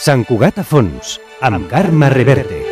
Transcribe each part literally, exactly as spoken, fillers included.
Sant Cugat a fons, amb Carme Reverte.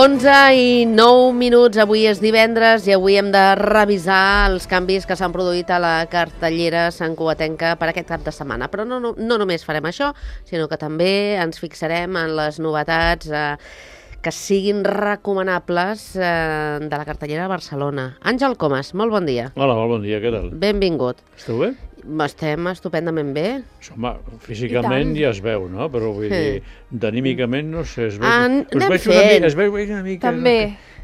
onze i nou minuts, avui és divendres i avui hem de revisar els canvis que s'han produït a la cartellera santcugatenca per aquest cap de setmana. Però no, no, no només farem això, sinó que també ens fixarem en les novetats eh, que siguin recomanables eh, de la cartellera de Barcelona. Àngel Comas, molt bon dia. Hola, molt bon dia, què tal? Benvingut. Esteu bé? Estem estupendament bé. Home, físicament ja es veu, no? Però vull sí. dir, d'anímicament no sé, es veu, An es veig una mica, es veu una mica... També.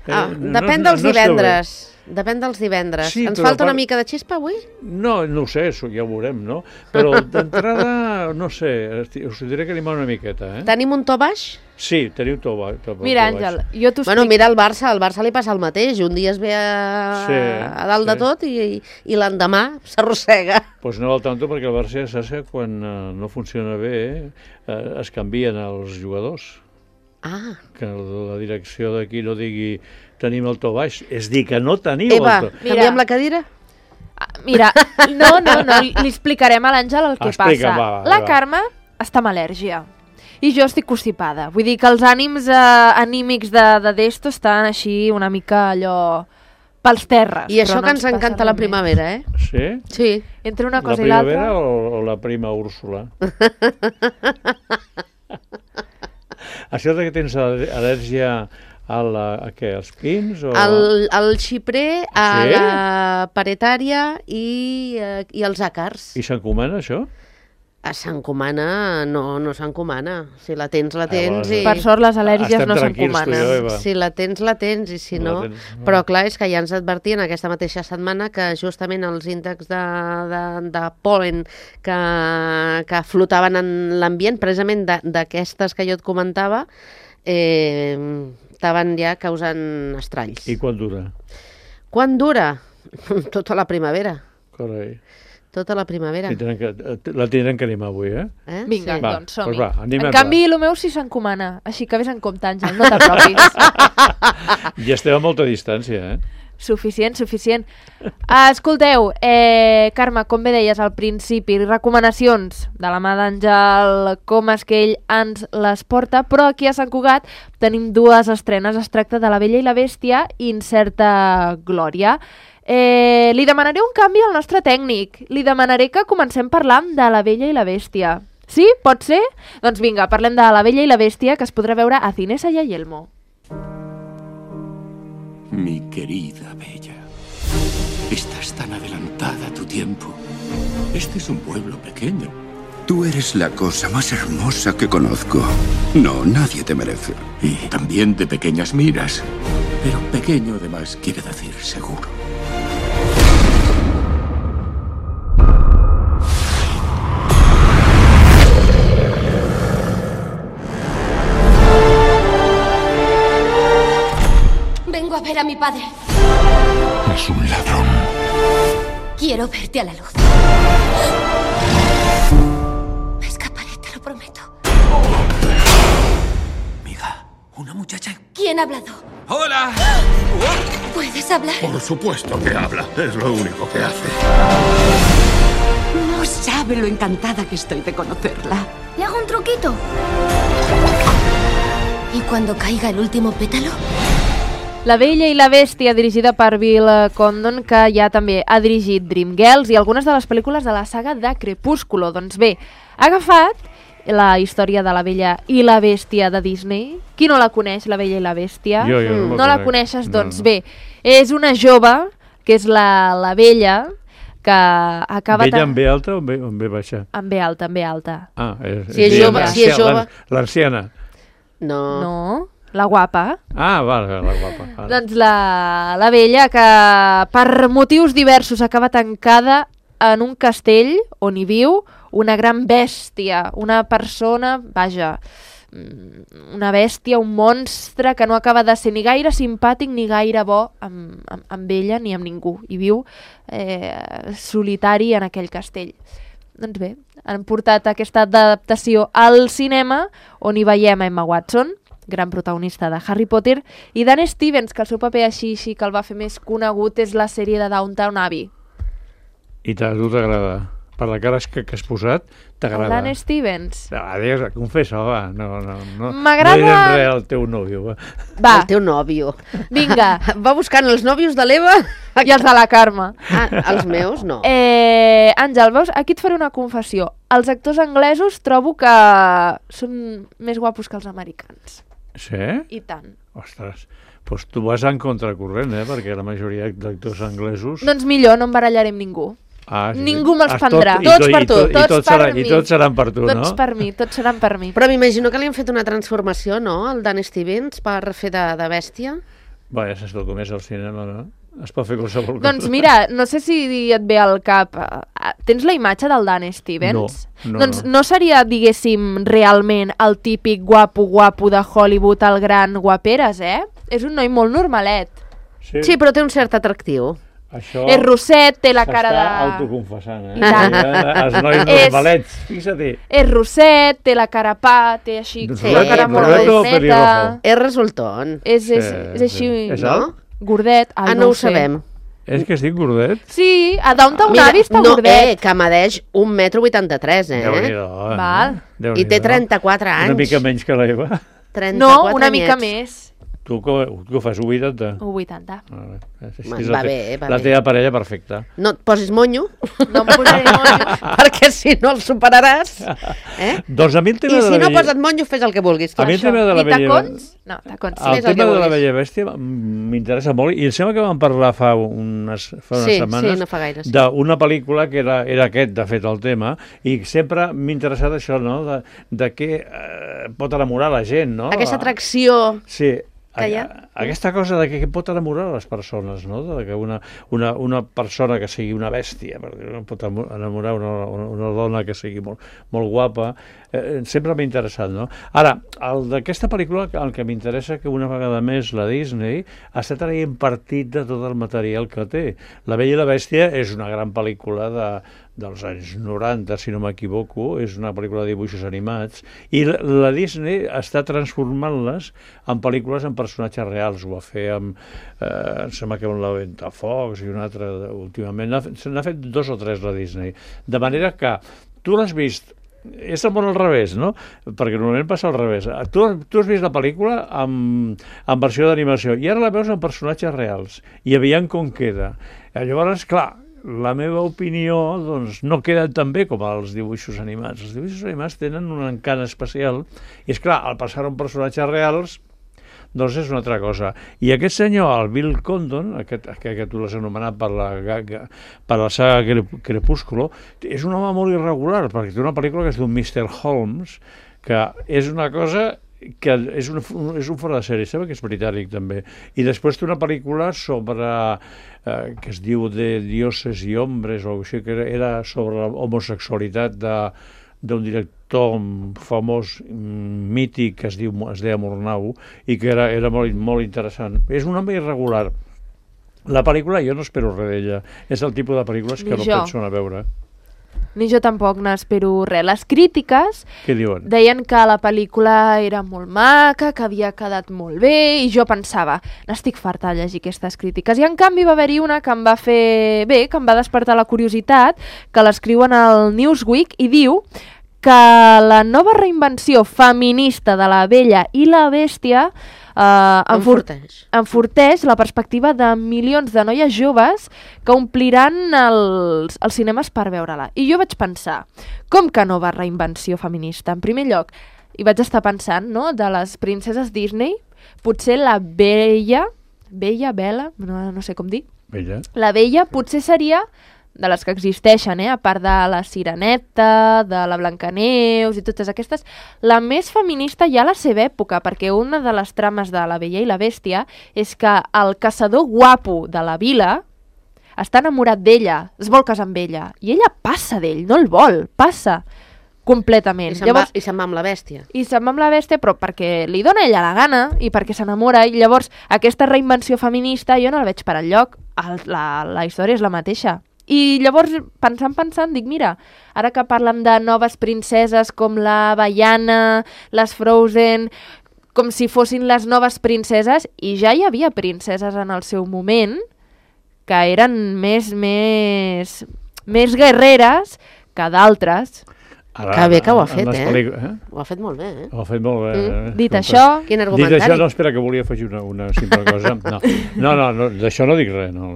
Eh, ah, no, depèn no, dels no divendres. Depèn dels divendres. Sí, Ens falta part... una mica de xispa avui? No, no ho sé, ja ho veurem, no? Però d'entrada, no sé, us diré que animar una miqueta, eh? Tenim un to baix? Sí, teniu to baix. To, mira, to Àngel, baix. jo t'ho explico. Bueno, mira el Barça, al Barça li passa el mateix. Un dia es ve a, sí, a dalt sí. de tot i, i, i l'endemà s'arrossega. Doncs pues no al tanto, perquè el Barça ja saps que quan uh, no funciona bé eh, es canvien els jugadors. Ah. Que la direcció d'aquí no digui tenim el to baix, és dir que no teniu Eva, el to... Eva, canviem la cadira? Mira, no, no, no, li explicarem a l'Àngel el que Explica, passa. Va, va, la va. Carme està amb al·lèrgia i jo estic constipada. Vull dir que els ànims eh, anímics de, de d'esto estan així una mica allò pels terres. I això no que ens encanta la primavera, eh? Sí? Sí. Entre una cosa i l'altra. La primavera o, o la prima Úrsula? Això que tens al·lèrgia a, la, a què, als pins? O... Al, al xiprer, a sí? la paretària i, i als àcars. I s'encomana això? S'encomana, no, no s'encomana. Si la tens, la tens. Ah, i... Per sort les al·lèrgies Estem no s'encomanen. Si la tens, la tens, i si no... no però clar, és que ja ens advertien aquesta mateixa setmana que justament els índexs de, de, de pol·len que, que flotaven en l'ambient, precisament d'aquestes que jo et comentava, eh, estaven ja causant estralls. I quan dura? Quan dura? Tota la primavera. Carai. Tota la primavera. Que, la tindrem que animar avui, eh? eh? Vinga, sí. va, doncs som-hi. Doncs va, en canvi, el meu sí s'encomana, així que vés en compte, Àngel, no t'apropis. Ja estem a molta distància, eh? Suficient, suficient. Uh, escolteu, eh, Carme, com bé deies al principi, recomanacions de la mà d'Àngel Comas, que ell ens les porta, però aquí a Sant Cugat tenim dues estrenes. Es tracta de La Bella i la Bèstia i Incerta Glòria. Eh, li demanaré un canvi al nostre tècnic. Li demanaré que comencem parlant de La Bella i la Bèstia. Sí? Pot ser? Doncs vinga, parlem de La Bella i la Bèstia, que es podrà veure a Cinesa y a Yelmo. Mi querida Bella, estás tan adelantada a tu tiempo. Este es un pueblo pequeño. Tú eres la cosa más hermosa que conozco. No, nadie te merece. Y también de pequeñas miras. Pero pequeño además quiere decir seguro. Vengo a ver a mi padre. Es un ladrón. Quiero verte a la luz. Me escaparé, te lo prometo. Amiga, una muchacha. ¿Quién ha hablado? ¡Hola! ¿Puedes hablar? Por supuesto que habla. Es lo único que hace. No sabe lo encantada que estoy de conocerla. ¿Le hago un truquito? ¿Y cuando caiga el último pétalo? La Bella i la Bèstia, dirigida per Bill Condon, que ja també ha dirigit Dreamgirls i algunes de les pel·lícules de la saga de Crepúsculo. Doncs bé, ha agafat la història de La Bella i la Bèstia de Disney. Qui no la coneix, La Bella i la Bèstia? Jo, jo no, no la coneixes? No, doncs no. Bé, és una jove, que és la, la Bella, que acaba... Bella en B alta o en B, en B baixa? En B alta, en B alta. Ah, és, si és jove, si és jove. L'anciana. No. No. La guapa. Ah, vale, la guapa. Vale. Doncs la, la Bella, que per motius diversos acaba tancada en un castell on hi viu una gran bèstia, una persona, vaja, una bèstia, un monstre que no acaba de ser ni gaire simpàtic ni gaire bo amb, amb, amb ella ni amb ningú, i viu eh, solitari en aquell castell. Doncs bé, han portat aquesta adaptació al cinema, on hi veiem Emma Watson, gran protagonista de Harry Potter, i Dan Stevens, que el seu paper així, així que el va fer més conegut és la sèrie de Downton Abbey. I a tu t'agrada? Per la cara que, que has posat, t'agrada? Dan Stevens. Adiós, confessa, va. No, no, no. M'agrada... No direm res al teu nòvio, va. Va. El teu nòvio. Vinga. Va buscant els nòvios de l'Eva. I els de la Carme. Ah, els meus no. Eh, Àngel, veus, aquí et faré una confessió. Els actors anglesos trobo que són més guapos que els americans. Sí? I tant. Ostres, doncs tu vas en contracorrent, eh? Perquè la majoria d'actors anglesos... Doncs millor, no em barallaré amb ningú. Ah, sí. Ningú me'ls Has prendrà. Tot, Tots i, per i, tu, i, tots tots per serà, mi. I tots seran per tu, Tots no? per mi, tots seran per mi. Però m'imagino que li han fet una transformació, no?, al Dan Stevens, per fer de, de bèstia. Bé, ja saps el com és al cinema, no? Es pot fer qualsevol cosa. Doncs mira, no sé si et ve al cap... eh, Tens la imatge del Dan Stevens? No, no, doncs no. no seria, diguéssim, realment el típic guapo-guapo de Hollywood, el gran guaperes, eh? És un noi molt normalet. Sí, Sí, però té un cert atractiu. això És rosset, té la cara de... s'està autoconfessant, eh? I tant. Els nois És- normalets, fixa-t'hi. És rosset, té la cara pa, té així... Doncs Sí, la cara és molt rodet o rodoneta. pelirrojo? És resultón. És, és, Sí, és així, sí. És no? alt? Gordet. Ai, Ah, no, ho sé. sabem. És que estic gordet? Sí, a Downton Abbey està no, gordet. eh, que medeix un metro vuitanta-tres, eh? Déu-n'hi-do. eh? Val. Déu-n'hi-do. I té trenta-quatre anys. Una mica menys que l'Eva. trenta-quatre No, una mica anyets. més. Tu que, que ho fas, un vuitanta? un vuitanta. Ah, bé. És, Va- és va la, te- bé, va la bé. teva parella perfecta. No et posis monyo, No em posaré monyo. perquè si no el superaràs. Eh? Doncs a mi el tema I de si la no bella... posa't monyo, fes el que vulguis. A mi el tema de la I bella... tacons? No, tacons. El Fes el que tema de la vulguis. Bella Bèstia m'interessa molt i em sembla que vam parlar fa unes, fa unes Sí, setmanes sí, no fa gaire, sí. d'una pel·lícula que era, era aquest, de fet, el tema, i sempre m'ha interessat això, no?, de, de què eh, pot enamorar la gent, no? Aquesta atracció... Sí, que hi ha. a- aquesta cosa de que, que pot enamorar les persones, no? De que una, una, una persona que sigui una bèstia, perquè no pot amo- enamorar una, una, una dona que sigui molt, molt guapa, eh, sempre m'ha interessat, no? Ara, el d'aquesta pel·lícula, el que m'interessa que una vegada més la Disney està traient partit de tot el material que té. La Bella i la Bèstia és una gran pel·lícula de, dels anys noranta, si no m'equivoco, és una pel·lícula de dibuixos animats, i la, la Disney està transformant-les en pel·lícules amb personatges reals. Ho va fer amb, eh, em sembla que amb la Ventafocs i una altra de- últimament. N'ha fet- Se n'ha fet dos o tres la Disney. De manera que tu l'has vist, és el món al revés, no? Perquè normalment passa al revés. Tu, tu has vist la pel·lícula amb, amb versió d'animació i ara la veus amb personatges reals i aviam com queda. Eh, Llavors, clar, la meva opinió doncs, no queda tan bé com els dibuixos animats. Els dibuixos animats tenen un encant especial i, és clar, al passar un personatges reals doncs és una altra cosa. I aquest senyor, el Bill Condon, aquest, que, que tu l'has anomenat per la, per la saga Crep- Crepúsculo, és un home molt irregular, perquè té una pel·lícula que es diu mister Holmes, que és una cosa que és un, és un fora de sèrie, sembla que és britànic també. I després té una pel·lícula sobre, eh, que es diu de dioses i hombres, o així, que era, era sobre la homosexualitat de d'un director famós, mm, mític, que es diu es deia Murnau, i que era, era molt, molt interessant. És un home irregular. La pel·lícula, jo no espero res d'ella. És el tipus de pel·lícules que Ni no jo. penso anar a veure. Ni jo tampoc n'espero res. Les crítiques Què diuen? deien que la pel·lícula era molt maca, que havia quedat molt bé, i jo pensava, n'estic farta de llegir aquestes crítiques. I en canvi va haver-hi una que em va fer bé, que em va despertar la curiositat, que l'escriuen al Newsweek, i diu que la nova reinvenció feminista de la Bella i la Bèstia eh, enfort Enforteix. enforteix la perspectiva de milions de noies joves que ompliran els, els cinemes per veure-la. I jo vaig pensar, com que nova reinvenció feminista? En primer lloc, i vaig estar pensant, no?, de les princeses Disney, potser la Bella, Bella, Bella, no, no sé com dir, Bella. la Bella potser seria de les que existeixen, eh? A part de la Sireneta, de la Blancaneus i totes aquestes, la més feminista ja a la seva època, perquè una de les trames de La Bella i la Bèstia és que el caçador guapo de la vila està enamorat d'ella, es vol casar amb ella, i ella passa d'ell, no el vol, passa. completament. I se'n llavors, va, i se'n va amb la bèstia. I se'n va amb la bèstia, però perquè li dona ella la gana i perquè s'enamora, i llavors aquesta reinvenció feminista jo no la veig per enlloc. El, la, la història és la mateixa. I llavors, pensant, pensant, dic, mira, ara que parlem de noves princeses com la Vaiana, les Frozen, com si fossin les noves princeses, i ja hi havia princeses en el seu moment que eren més, més, més guerreres que d'altres. Ara, Que bé que ho ha en fet, les eh? pel·lícu- eh? Ho ha fet molt bé, eh? Ho ha fet molt bé. Mm. eh? Dit Escolta. això, Quin Dit argumentari? això, no, espera, que volia afegir una, una simple cosa. No, no, no, no d'això no dic res, no,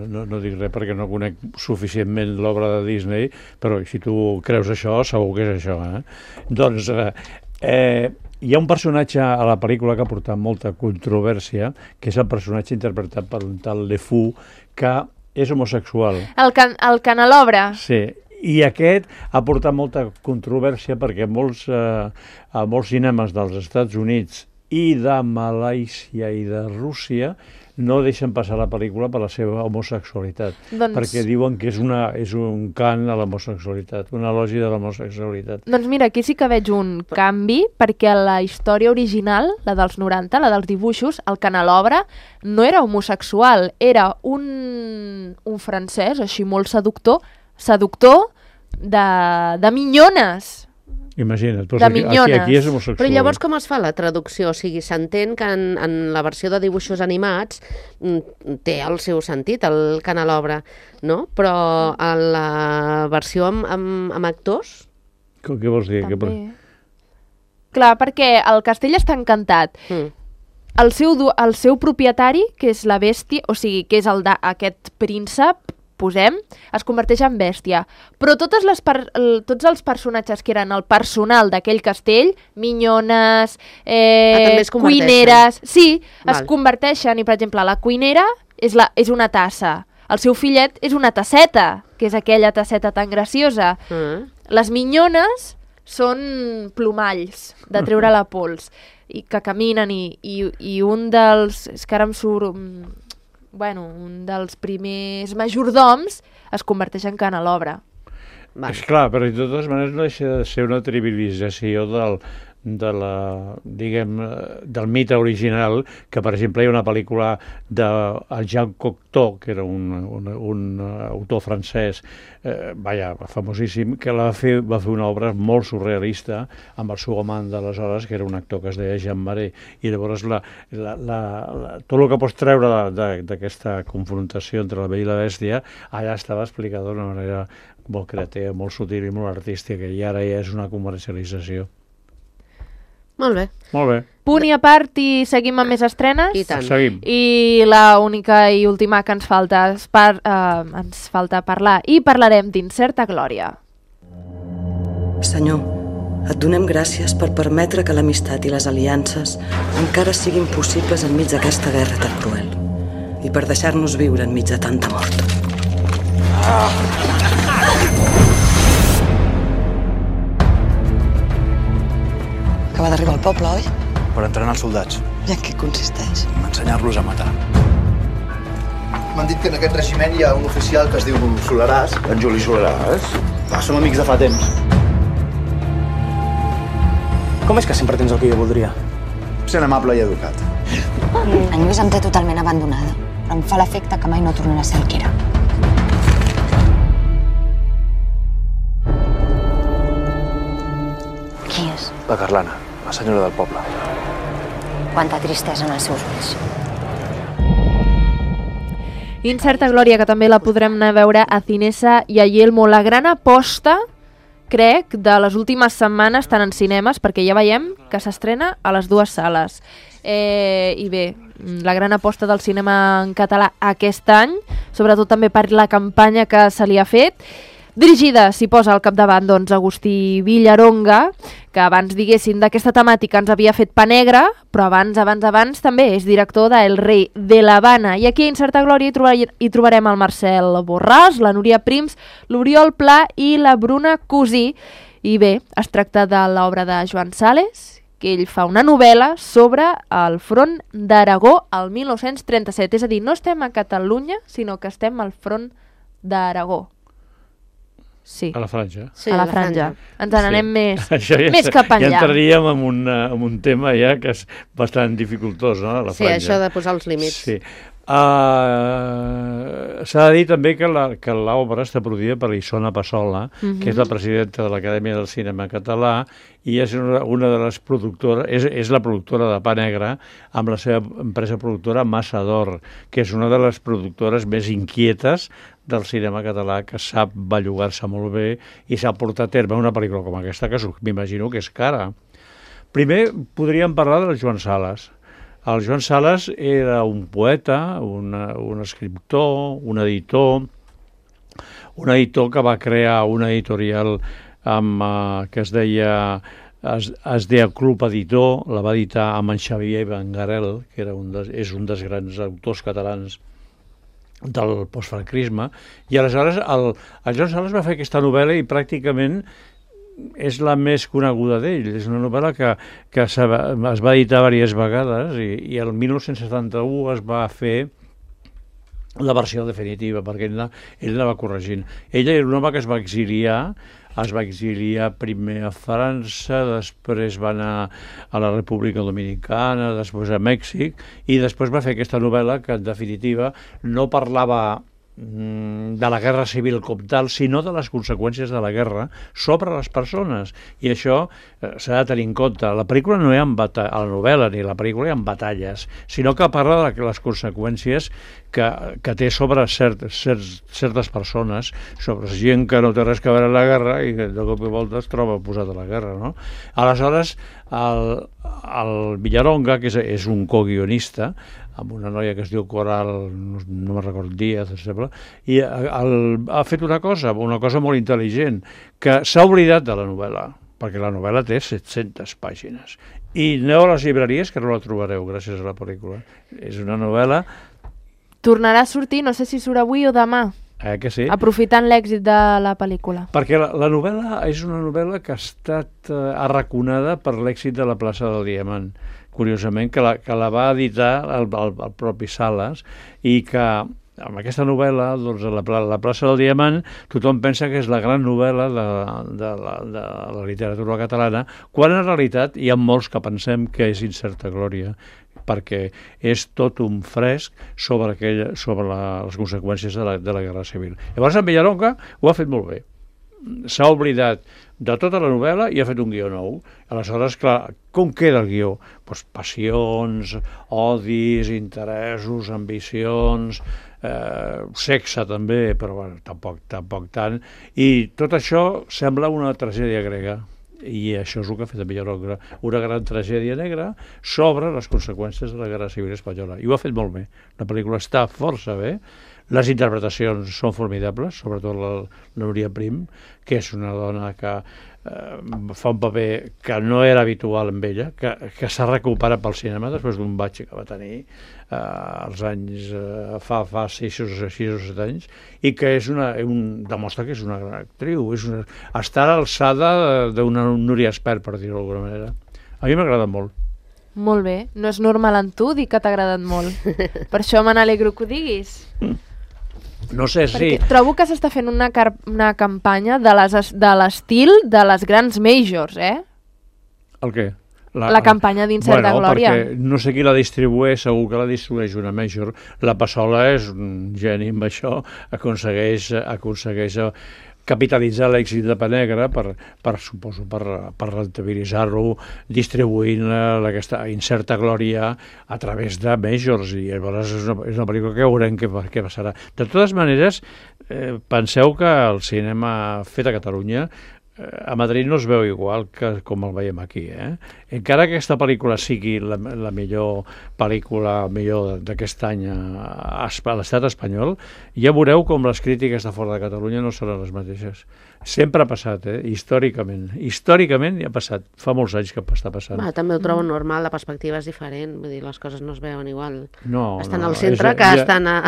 no, no dic res perquè no conec suficientment l'obra de Disney, però si tu creus això, segur que és això, eh? Doncs, eh, eh, hi ha un personatge a la pel·lícula que ha portat molta controvèrsia, que és el personatge interpretat per un tal Le Fou, que és homosexual. el, can, el Canelobra. Sí, i aquest ha portat molta controvèrsia perquè molts, eh, a molts cinemes dels Estats Units i de Malàisia i de Rússia no deixen passar la pel·lícula per la seva homosexualitat, Doncs- perquè diuen que és, una, és un cant a l'homosexualitat, una elogi de l'homosexualitat. Doncs mira, aquí sí que veig un canvi, perquè la història original, la dels noranta, la dels dibuixos, el Canelobra, no era homosexual, era un, un francès, així molt seductor, seductor de, de minyones. Imagina't, doncs De aquí, aquí, minyones. aquí és homosexual. Però llavors com es fa la traducció? O sigui, s'entén que en, en la versió de dibuixos animats mm, té el seu sentit, el Canelobra, no? Però en la versió amb, amb, amb actors... Què, què vols dir? Què, També. Clar, perquè el castell està encantat. Mm. El seu, du- el seu propietari, que és la bèstia, o sigui, que és el de, aquest príncep, posem, es converteix en bèstia. Però totes les per, el, tots els personatges que eren el personal d'aquell castell, minyones, eh, Ah, també es converteixen. cuineres... Sí, Val. es converteixen, i per exemple, la cuinera és, la, és una tassa, el seu fillet és una tasseta, que és aquella tasseta tan graciosa. Mm. Les minyones són plomalls de treure la pols i que caminen i, i, i un dels... És que ara em surt... mm, Bueno, un dels primers majordoms es converteix en Canelobra. Vale. És clar, però de totes maneres no deixa de ser una trivialització del, de la, diguem, eh, del mite original, que per exemple hi ha una pel·lícula de el Jean Cocteau, que era un, un, un autor francès, eh, vaja, famosíssim, que la va fer, va fer una obra molt surrealista amb el seu amant d'aleshores, que era un actor que es deia Jean Marais, i llavors la, la, la, la, tot el que pots treure d'aquesta confrontació entre la Bella i la Bèstia, allà estava explicat d'una manera molt creativa, molt sutil i molt artística, i ara ja és una comercialització. Molt bé. Molt bé. Punt i a part i seguim amb més estrenes. I tant. Seguim. I la única i última que ens falta, és par, eh, ens falta parlar, i parlarem d'Incerta Glòria. Senyor, et donem gràcies per permetre que l'amistat i les aliances encara siguin possibles enmig d'aquesta guerra tan cruel i per deixar-nos viure enmig de tanta mort. Acaba d'arribar al poble, oi? Per entrenar els soldats, I en què consisteix? ensenyar-los a matar. M'han dit que en aquest regiment hi ha un oficial que es diu Soleràs. En Juli Soleràs? Ah, som amics de fa temps. Com és que sempre tens el que jo voldria? Sent amable i educat. En Lluís em té totalment abandonada, però em fa l'efecte que mai no tornarà a ser el que era. Qui és? La Carlana, la senyora del poble. Quanta tristesa en els seus ulls. Incerta Glòria, que també la podrem anar a veure a Cinesa i a Yelmo. La gran aposta, crec, de les últimes setmanes, tant en cinemes, perquè ja veiem que s'estrena a les dues sales. Eh, I bé, la gran aposta del cinema en català aquest any, sobretot també per la campanya que se li ha fet, dirigida, s'hi posa al capdavant, doncs, Agustí Villaronga, que abans, diguéssim, d'aquesta temàtica ens havia fet Pa Negre, però abans, abans, abans també és director de El rei de l'Havana. I aquí a Incerta Glòria hi, trobar, hi trobarem el Marcel Borràs, la Núria Prims, l'Oriol Pla i la Bruna Cusí. I bé, es tracta de l'obra de Joan Sales, que ell fa una novel·la sobre el front d'Aragó al mil nou-cents trenta-set. És a dir, no estem a Catalunya, sinó que estem al front d'Aragó. Sí. A la franja. Sí, a la la franja. franja. Ens n'anem Sí. més, Això ja, més cap Ja enllà. entraríem en un, en un tema ja que és bastant dificultós, no?, la Sí, franja. això de posar els límits. Sí. Uh, S'ha de dir també que la, que l'obra està produïda per Isona Passola, Mhm. que és la presidenta de l'Acadèmia del Cinema Català, i és una, una de les productores, és, és la productora de Pa Negre, amb la seva empresa productora Massa d'Or, que és una de les productores més inquietes del cinema català, que sap bellugar-se molt bé i s'ha portat a terme una pel·lícula com aquesta, que m'imagino que és cara. Primer podríem parlar del Joan Sales. El Joan Sales era un poeta, una, un escriptor, un editor, un editor que va crear una editorial amb, uh, que es deia es, es deia Club Editor, la va editar amb en Xavier Bengarel, que era un des, és un dels grans autors catalans del postfranquisme, i aleshores el, el Joan Sales va fer aquesta novel·la i pràcticament és la més coneguda d'ell. És una novel·la que, que es va editar diverses vegades i, i el dinou setanta-u es va fer la versió definitiva, perquè ell la, ell la va corregint. Ella era un home que es va exiliar, es va exiliar primer a França, després va anar a la República Dominicana, després a Mèxic, i després va fer aquesta novel·la que, en definitiva, no parlava de la guerra civil com tal, sinó de les conseqüències de la guerra sobre les persones. I això eh, s'ha de tenir en compte. La pel·lícula no hi ha bata- a la novel·la ni la pel·lícula hi ha batalles, sinó que parla de les conseqüències que, que té sobre cert, cert, certes persones, sobre gent que no té res que veure amb la guerra i que de cop i volta es troba posat a la guerra, no? Aleshores, el, el Villaronga, que és, és un co-guionista, amb una noia que es diu Coral, no, no me'n recordo Díaz, em sembla, i el, ha fet una cosa, una cosa molt intel·ligent, que s'ha oblidat de la novel·la, perquè la novel·la té set-centes pàgines. I aneu a les llibreries que no la trobareu gràcies a la pel·lícula. És una novel·la... Tornarà a sortir, no sé si surt avui o demà, Eh, que sí? aprofitant l'èxit de la pel·lícula. Perquè la, la novel·la és una novel·la que ha estat eh, arraconada per l'èxit de la plaça del Diamant. Curiosament, que la, que la va editar el, el, el propi Sales, i que amb aquesta novel·la, doncs, la, la plaça del Diamant, tothom pensa que és la gran novel·la de, de, la, de la literatura catalana, quan en realitat hi ha molts que pensem que és Incerta Glòria, perquè és tot un fresc sobre, aquella, sobre la, les conseqüències de la, de la Guerra Civil. Llavors en Villaronga ho ha fet molt bé. S'ha oblidat de tota la novel·la i ha fet un guió nou. Aleshores, clar, com queda el guió? Pues passions, odis, interessos, ambicions, eh, sexe també, però bueno, tampoc, tampoc tant. I tot això sembla una tragèdia grega. I això és el que ha fet en Villaronga, una gran tragèdia negra sobre les conseqüències de la Guerra Civil Espanyola. I ho ha fet molt bé. La pel·lícula està força bé, les interpretacions són formidables, sobretot la, la Núria Prim, que és una dona que eh, fa un paper que no era habitual amb ella, que, que s'ha recuperat pel cinema després d'un batxe que va tenir eh, als anys, eh, fa, fa sis o set anys, i que és una, un, demostra que és una gran actriu, és una, està a l'alçada d'una Núria Espert, per dir-ho d'alguna manera. A mi m'agrada molt. Molt bé, no és normal en tu dir que t'ha agradat molt. Per això me n'alegro que ho diguis. No sé, sí. Perquè trobo que s'està fent una, car una campanya de les- de l'estil de les grans majors, eh? El què? La campanya d'Incerta bueno, Glòria. Perquè no sé qui la distribueix, segur que la distribueix una major. La Passola és un geni amb això, aconsegueix, aconsegueix capitalitzar l'èxit de Pa Negre per, per suposo, per, per rentabilitzar-lo distribuint aquesta Incerta Glòria a través de majors, i llavors és una, és una pel·lícula que veurem què, què passarà. De totes maneres, eh, penseu que el cinema fet a Catalunya a Madrid no es veu igual que com el veiem aquí, eh? Encara que aquesta pel·lícula sigui la, la millor pel·lícula millor d'aquest any a, a l'estat espanyol, ja veureu com les crítiques de fora de Catalunya no seran les mateixes. Sempre ha passat, eh? Històricament. Històricament ja ha passat. Fa molts anys que està passant. Va, també ho trobo normal, la perspectiva és diferent, vull dir, les coses no es veuen igual. No, estan no, al centre és, que ha, estan a...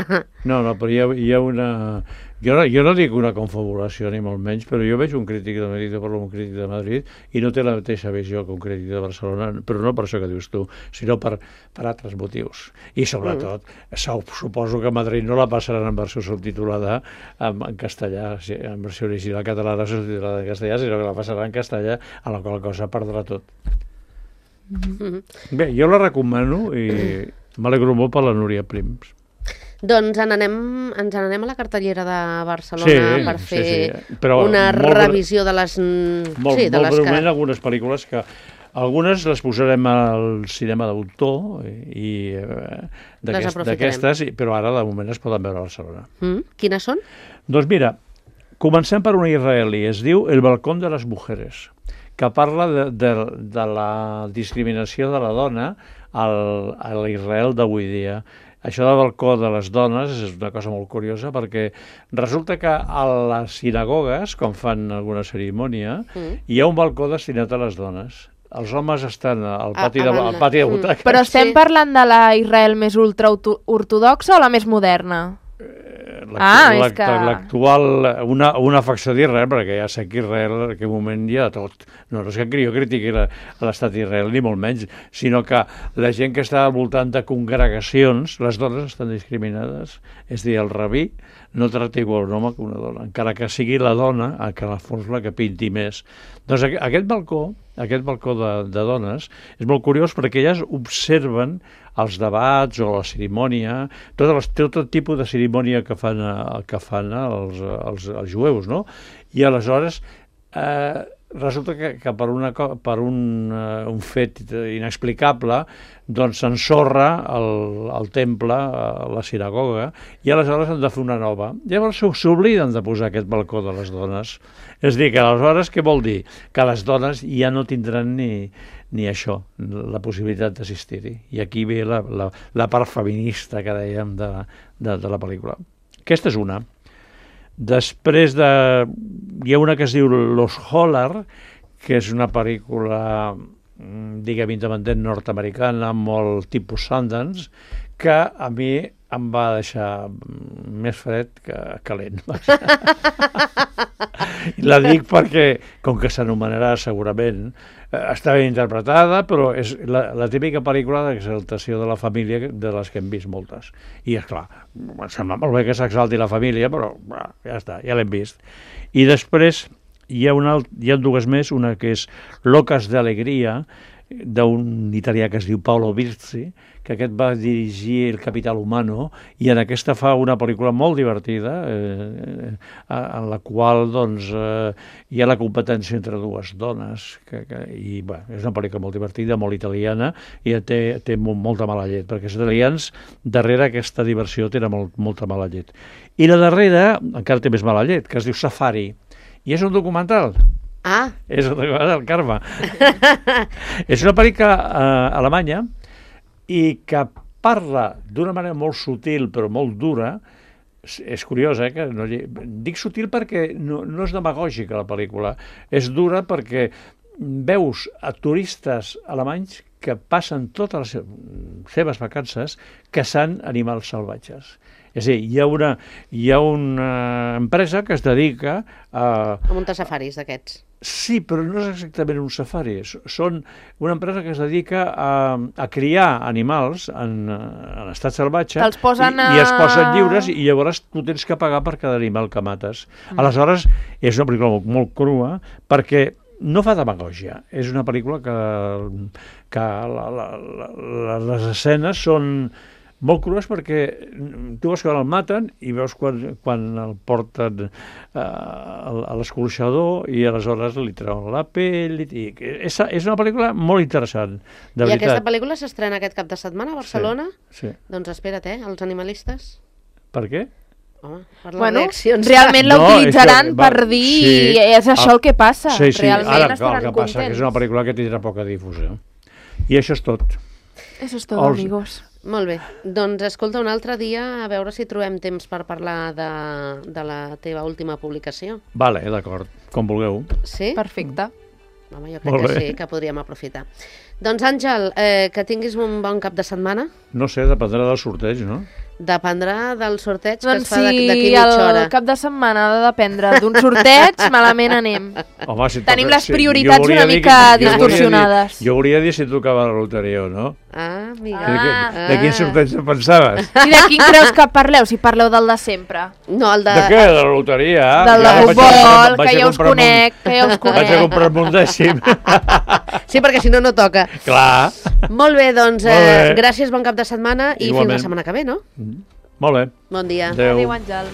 No, no, però hi ha, hi ha una... Jo no, jo no dic una confabulació ni molt menys, però jo veig un crític de Madrid, jo parlo amb un crític de Madrid, i no té la mateixa visió que un crític de Barcelona, però no per això que dius tu, sinó per, per altres motius. I sobretot, mm. suposo que a Madrid no la passaran en versió subtitulada en, en castellà, en versió original català, catalana o subtitulada en castellà, sinó que la passarà en castellà, a la qual cosa perdrà tot. Mm-hmm. Bé, jo la recomano i m'alegro molt per la Núria Prims. Doncs en anem, ens n'anem a la cartellera de Barcelona Sí, per fer sí, sí. Però una molt bre- revisió de les... Molt, sí, de molt les breument, que... algunes pel·lícules que... Algunes les posarem al cinema d'autor i eh, d'aquest- aprofitarem. d'aquestes, i- però ara de moment es poden veure a Barcelona. Mm? Quines són? Doncs mira, comencem per una israelí, es diu El balcón de les mujeres, que parla de, de, de la discriminació de la dona al, a l'Israel d'avui dia. Això del balcó de les dones és una cosa molt curiosa perquè resulta que a les sinagogues, quan fan alguna cerimònia, Mm. hi ha un balcó destinat a les dones. Els homes estan al A- pati, a de, banda. al pati de Mm. butaques. Però estem parlant de la Israel més ultraortodoxa o la més moderna? Ah, és que... L'actual, una, una facció d'Israel, perquè ja sé que Israel en aquell moment hi ha de tot. No, no és que jo critiqui la- l'estat d'Israel, ni molt menys, sinó que la gent que està al voltant de congregacions, les dones estan discriminades. És a dir, el rabí no tracta igual un home que una dona, encara que sigui la dona a que la fos la que pinti més. Doncs aqu- aquest balcó, aquest balcó de, de dones, és molt curiós perquè elles observen els debats o la cerimònia, tot, les, tot el tipus de cerimònia que fan, eh, que fan els, els, els jueus, no? I aleshores eh, resulta que, que per, una, co- per un, uh, un fet inexplicable doncs s'ensorra el, el temple, uh, la sinagoga, i aleshores han de fer una nova. Llavors s'obliden de posar aquest balcó de les dones. És a dir, que aleshores què vol dir? Que les dones ja no tindran ni, ni això, la possibilitat d'assistir-hi. I aquí ve la, la, la part feminista que dèiem de, de, de la pel·lícula. Aquesta és una. Després de... hi ha una que es diu Los Holler, que és una pel·lícula, diguem, independent nord-americana, molt tipus Sundance, que a mi em va deixar més fred que calent. I la dic perquè, com que s'anomenarà segurament, està ben interpretada, però és la, la típica pel·lícula d'exaltació de la família, de les que hem vist moltes. I, esclar, sembla molt bé que s'exalti la família, però bah, ja està, ja l'hem vist. I després hi ha, una, hi ha dues més, una que és Locas de Alegria, d'un italià que es diu Paolo Virzi, que aquest va dirigir El Capital Humano, i en aquesta fa una pel·lícula molt divertida, eh, en la qual doncs, eh, hi ha la competència entre dues dones, que, que, i bé, és una pel·lícula molt divertida, molt italiana, i té, té molta mala llet, perquè els italians, darrere aquesta diversió, tenen molt, molta mala llet. I la darrera, encara té més mala llet, que es diu Safari, i és un documental. Ah. És un documental, Carme. És una pel·lícula eh, alemanya i que parla d'una manera molt sutil però molt dura. És, és curiós, eh? Que no, dic sutil perquè no, no és demagògica la pel·lícula. És dura perquè veus a turistes alemanys que passen totes les seves vacances caçant animals salvatges. És a dir, hi ha una, hi ha una empresa que es dedica a... A muntar safaris d'aquests. Sí, però no és exactament un safari. Són una empresa que es dedica a, a criar animals en, en estat salvatge. Te'ls posen i, a... i es posen lliures i llavors tu tens que pagar per cada animal que mates. Mm. Aleshores, és una pel·lícula molt, molt crua perquè no fa demagògia. És una pel·lícula que, que la, la, la, les escenes són molt crues perquè tu veus quan el maten i veus quan, quan el porten eh, a l'escorxador i aleshores li treuen la pell. I, és, és una pel·lícula molt interessant, de I veritat. aquesta pel·lícula s'estrena aquest cap de setmana a Barcelona? Sí, sí. Doncs espera't, eh, els animalistes. Per què? Home, per les Bueno, reaccions. realment No, l'utilitzaran és que va- per dir sí. és això Ah, el que passa. Sí, sí. Realment Ara, estaran el que passa que és una contents. pel·lícula que tindrà poca difusió. I això és tot. Eso es todo, Els- amigos. Molt bé. Doncs escolta, un altre dia a veure si trobem temps per parlar de, de la teva última publicació. Vale, d'acord, com vulgueu. Sí? Perfecte. Home, jo crec Molt que bé. sí, que podríem aprofitar. Doncs Àngel, eh, que tinguis un bon cap de setmana. No sé, dependrà del sorteig, no? Dependrà del sorteig que Doncs es fa d'aquí si mitja hora. el cap de setmana ha de dependre d'un sorteig, malament anem. Home, si Tenim toca- les sí, prioritats jo volia una dir mica que- jo volia dir- distorsionades. Jo volia dir si tocava la loteria o no. Ah, amiga. De, Ah. de, de quin sorteig en pensaves? I de quin creus que parleu, si parleu del de sempre? No, el de... De què? De la loteria? Del de Ja vaig a futbol, comprar- vaig que a ja us comprar un- conec, que ja us Vaig a conec. comprar un dècim. Sí, perquè si no, no toca. Clar. Molt bé, doncs, Molt bé. eh, gràcies, bon cap de setmana i Igualment. fins la setmana que ve, no? Molt bé. Bon dia. Adéu. Adéu, Àngel.